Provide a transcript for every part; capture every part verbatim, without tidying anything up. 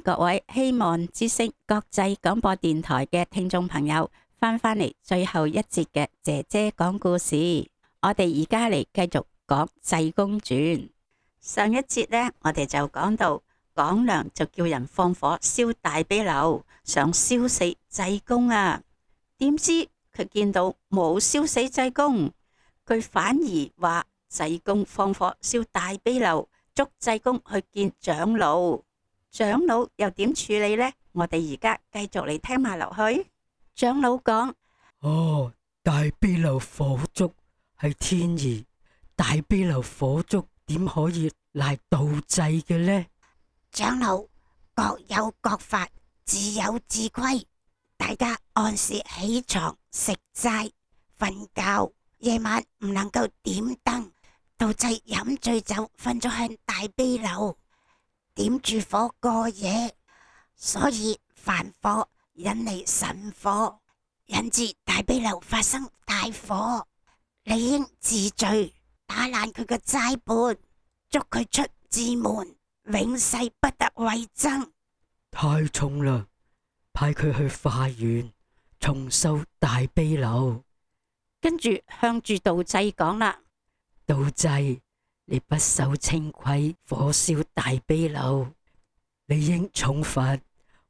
各位希望之聲國際廣播電台嘅聽眾朋友翻返嚟最後一節嘅姐姐講故事。我哋而家嚟繼續講濟公傳。上一節呢，我哋就講到廣良就叫人放火燒大悲樓，想燒死濟公啊。點知佢見到冇燒死濟公，佢反而話濟公放火燒大悲樓，捉濟公去見長老。長老又點處理呢？我哋而家繼續嚟聽埋落去。長老講：哦，大悲樓火燭係天意，大悲樓火燭點可以賴道濟嘅呢？長老，各有各法，自有自規。大家按時起床食齋瞓覺，夜晚唔能夠點燈，道濟飲醉酒瞓咗向大悲樓，點住火過夜，所以凡火引嚟神火，引致大悲樓發生大火。你應治罪，打爛佢個齋盤，捉佢出寺門，永世不得為僧。太重啦，派佢去化緣重修大悲樓。跟住向住道濟講啦：道濟，你不守清規，火燒大悲樓，你應重罰。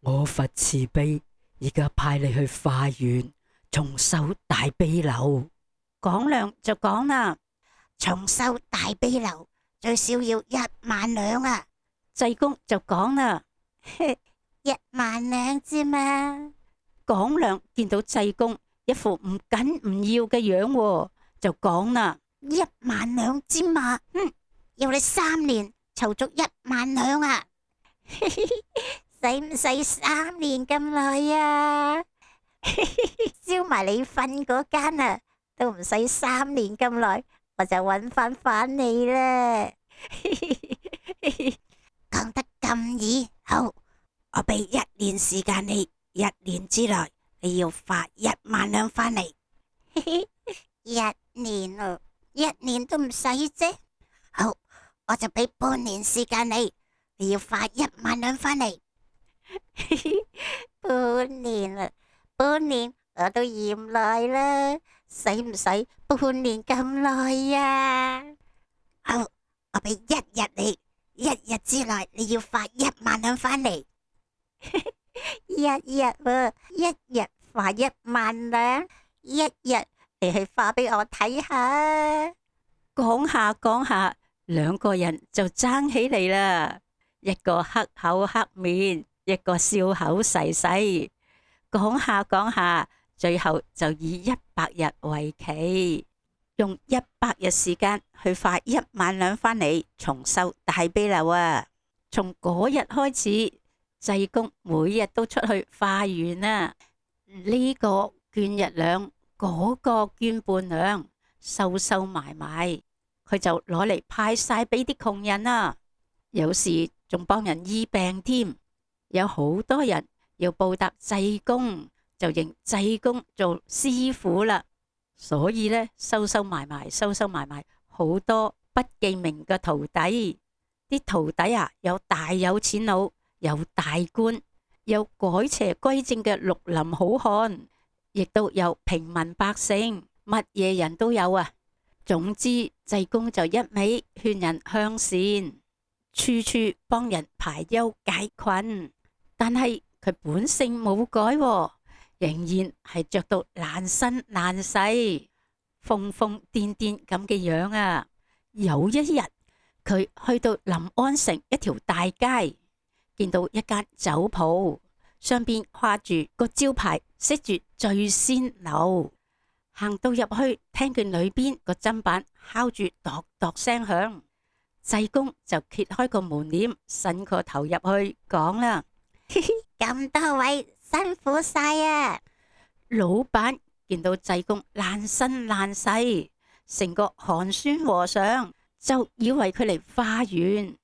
我佛慈悲，而家派你去化緣重修大悲樓。廣良就講啦：重修大悲樓最少要一萬兩啊！濟公就講啦：一萬兩啫嘛。廣良見到濟公一副唔緊唔要嘅樣，就講啦：一萬兩啫嘛，嗯，要你三年籌足一萬兩啊！使唔使三年咁耐啊？燒埋你瞓嗰間啊，都唔使三年咁耐，我就搵翻返你啦。講得咁易，好，我俾一年時間你，一年之內你要發一萬兩返嚟。一年啊，一年都唔使啫。好，我就俾半年時間你，你要發一萬兩返嚟。半年啦，半年我都嫌耐啦，使唔使半年咁耐呀？好，我俾一日你，一日之內你要發一萬兩返嚟。一日喎，一日發一萬兩，一日你去發俾我睇下。講下講下，兩個人就爭起嚟啦，一個黑口黑面，一個笑口噬噬。講下講下，最後就以一百日為期，用一百日時間去發一萬兩返嚟重修大悲樓啊！從嗰日開始，濟公每日都出去化緣啊，呢個捐一兩，嗰個捐半兩，收收埋埋，佢就攞嚟派晒俾啲窮人啊！有時仲幫人醫病添。有好多人要報答濟公，就認濟公做師傅啦。所以呢，收收埋埋，收收埋埋，好多不記名嘅徒弟。啲徒弟啊，有大有錢佬，有大官，有改邪歸正嘅綠林好漢，亦都有平民百姓，乜嘢人都有啊。總之，濟公就一味勸人向善，處處幫人排憂解困。但係佢本性冇改喎，仍然係着到爛身爛世、瘋瘋癲癲咁嘅樣啊！有一日，佢去到臨安城一條大街，見到一間酒鋪，上邊掛住個招牌，寫住醉仙樓。行到入去，聽見裏邊個砧板敲住度度聲響，濟公就揭開個門簾，伸個頭入去講啦。咁多位辛苦晒啊！老闆見到濟公爛身爛世，成個寒酸和尚，就以為佢嚟化緣，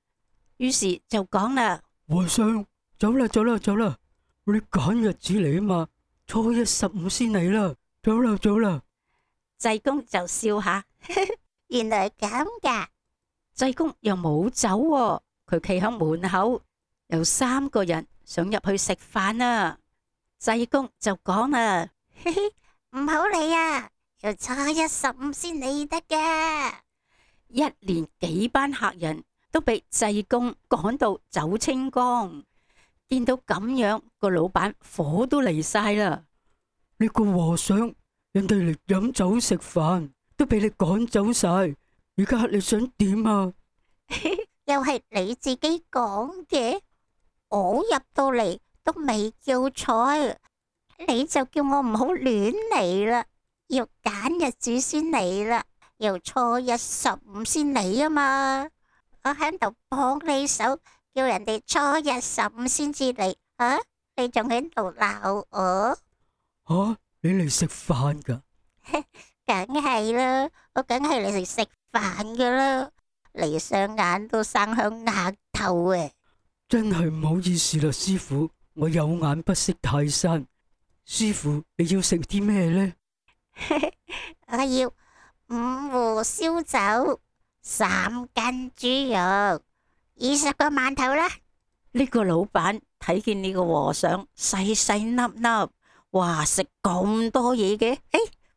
於是就講啦：和尚，走啦走啦走啦，我哋趕日子嚟啊嘛，初一十五先嚟啦，走啦走啦。濟公就笑下，原來咁噶。濟公又冇走喎，佢企喺門口，有三個人想入去食飯啊。濟公就講啦：嘻嘻，唔好嚟啊，要初一十五先嚟得㗎。一連幾班客人都俾濟公趕到走清光，見到咁樣，個老闆火都嚟晒啦。呢個和尚，人哋嚟飲酒食飯都俾你趕走晒，而家你想點啊？又係你自己講嘅，我入到嚟都未叫菜，你就叫我唔好亂嚟啦，要揀日子先嚟啦，要初一十五先嚟啊嘛。我喺度幫你手，叫人哋初一十五先至嚟，啊，你仲喺度鬧我？吓，你嚟食飯噶？梗係啦，我梗係嚟食食飯噶啦，你雙眼都生響額頭啊！真係唔好意思啦，師傅，我有眼不識泰山。師傅，你要食啲咩呢？我要五壺燒酒、三斤豬肉、二十個饅頭啦。呢個老闆睇見呢個和尚細細粒粒，哇，食咁多嘢嘅，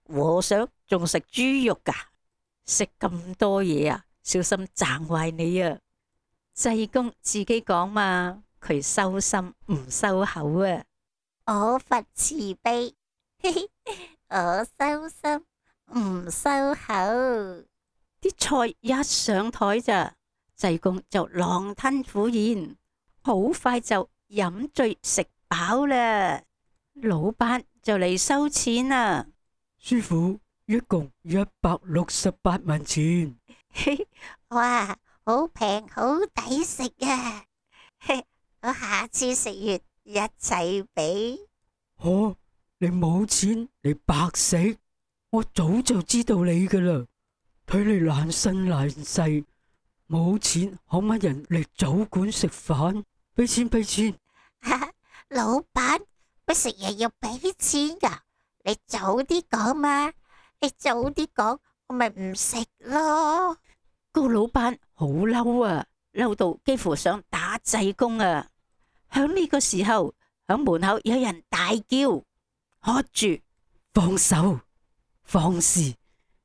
誒，和尚仲食豬肉噶，食咁多嘢啊，小心賺壞你啊！濟公自己講嘛，佢收心唔收口啊。我佛慈悲，我收心唔收口。啲菜一上台咋，濟公就狼吞虎咽，好快就飲醉食飽啦。老闆就嚟收錢啦。師傅，一共一百六十八文錢。哇，好平好抵食啊！我下次食完一齊俾。哦，你冇錢，你白食。我早就知道你噶啦，睇你懶身懶世，冇錢可乜人嚟酒館食飯？俾錢俾錢。老闆，乜食嘢要俾錢噶？你早啲講嘛，你早啲講，我咪唔食咯。個老闆好嬲啊，嬲到幾乎想打濟公啊！響呢個時候，響門口有人大叫：喝住，放手，放肆！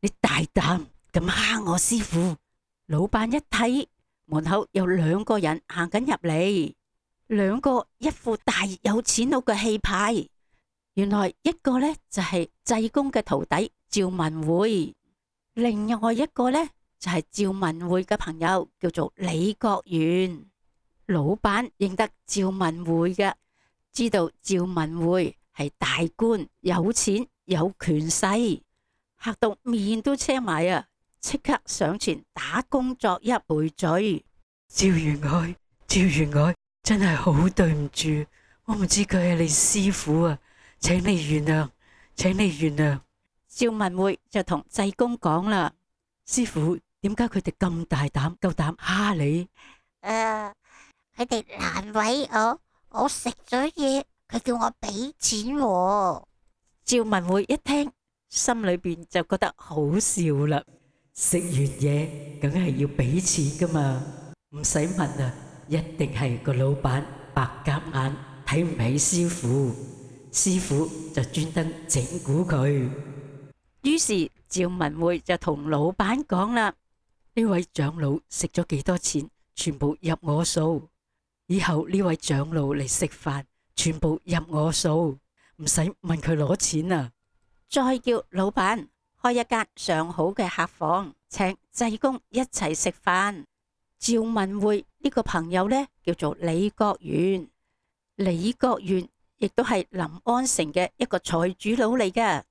你大膽咁蝦我師傅！老闆一睇，門口有兩個人行緊入嚟，兩個一副大有錢佬嘅氣派。原來一個呢就係濟公嘅徒弟趙文會，另外一個呢就係趙文會嘅朋友，叫做李國元。老闆認得趙文會嘅，知道趙文會係大官，有錢有權勢，嚇到面都青埋啊！即刻上前打躬作揖賠罪。趙員外，趙員外，真係好對唔住，我唔知佢係你師傅啊，請你原諒，請你原諒。趙文會就同濟公講啦：師傅，點解佢哋咁大膽，夠膽蝦你？誒、呃，佢哋難為我，我食咗嘢，佢叫我俾錢喎。趙文會一聽，心裏邊就覺得好笑啦。食完嘢梗係要俾錢噶嘛，唔使問啊，一定係個老闆白鴿眼睇唔起師傅，師傅就專登整蠱佢。於是趙文會就同老闆講啦：呢位長老食咗幾多錢，全部入我數。以後呢位長老嚟食飯，全部入我數，唔使問佢攞錢啊！再叫老闆開一間上好嘅客房，請濟公一齊食飯。趙文會呢個朋友呢，叫做李國元，李國元亦都係臨安城嘅一個財主佬嚟嘅，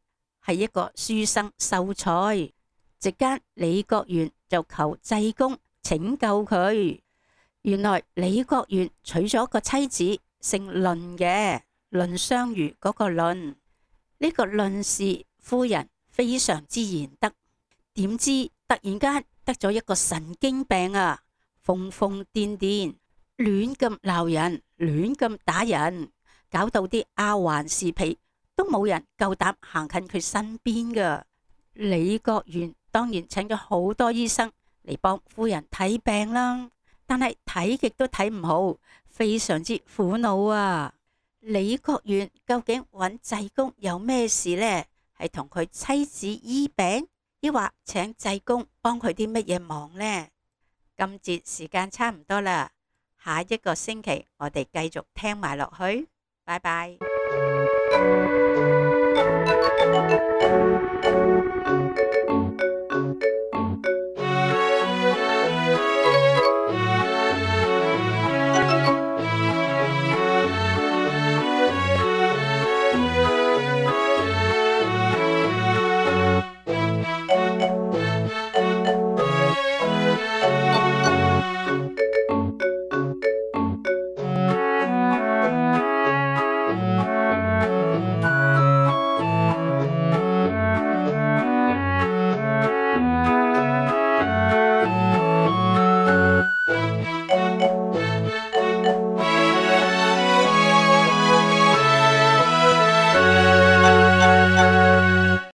係一個書生秀才。席間李國元就求濟公拯救佢。原來李國元娶咗個妻子，姓論嘅，論相如嗰個論。呢個論氏夫人非常之賢德，點知突然間得咗一個神經病啊，瘋瘋癲癲，亂咁鬧人，亂咁打人，搞到啲丫鬟侍婢都冇人夠膽行近佢身邊噶。李國元當然請咗好多醫生嚟幫夫人睇病啦，但係睇極都睇唔好，非常之苦惱啊！李國元究竟揾濟公有咩事呢？係同佢妻子醫病，抑或請濟公幫佢啲乜嘢忙呢？今節時間差唔多啦，下一個星期我哋繼續聽埋落去，拜拜。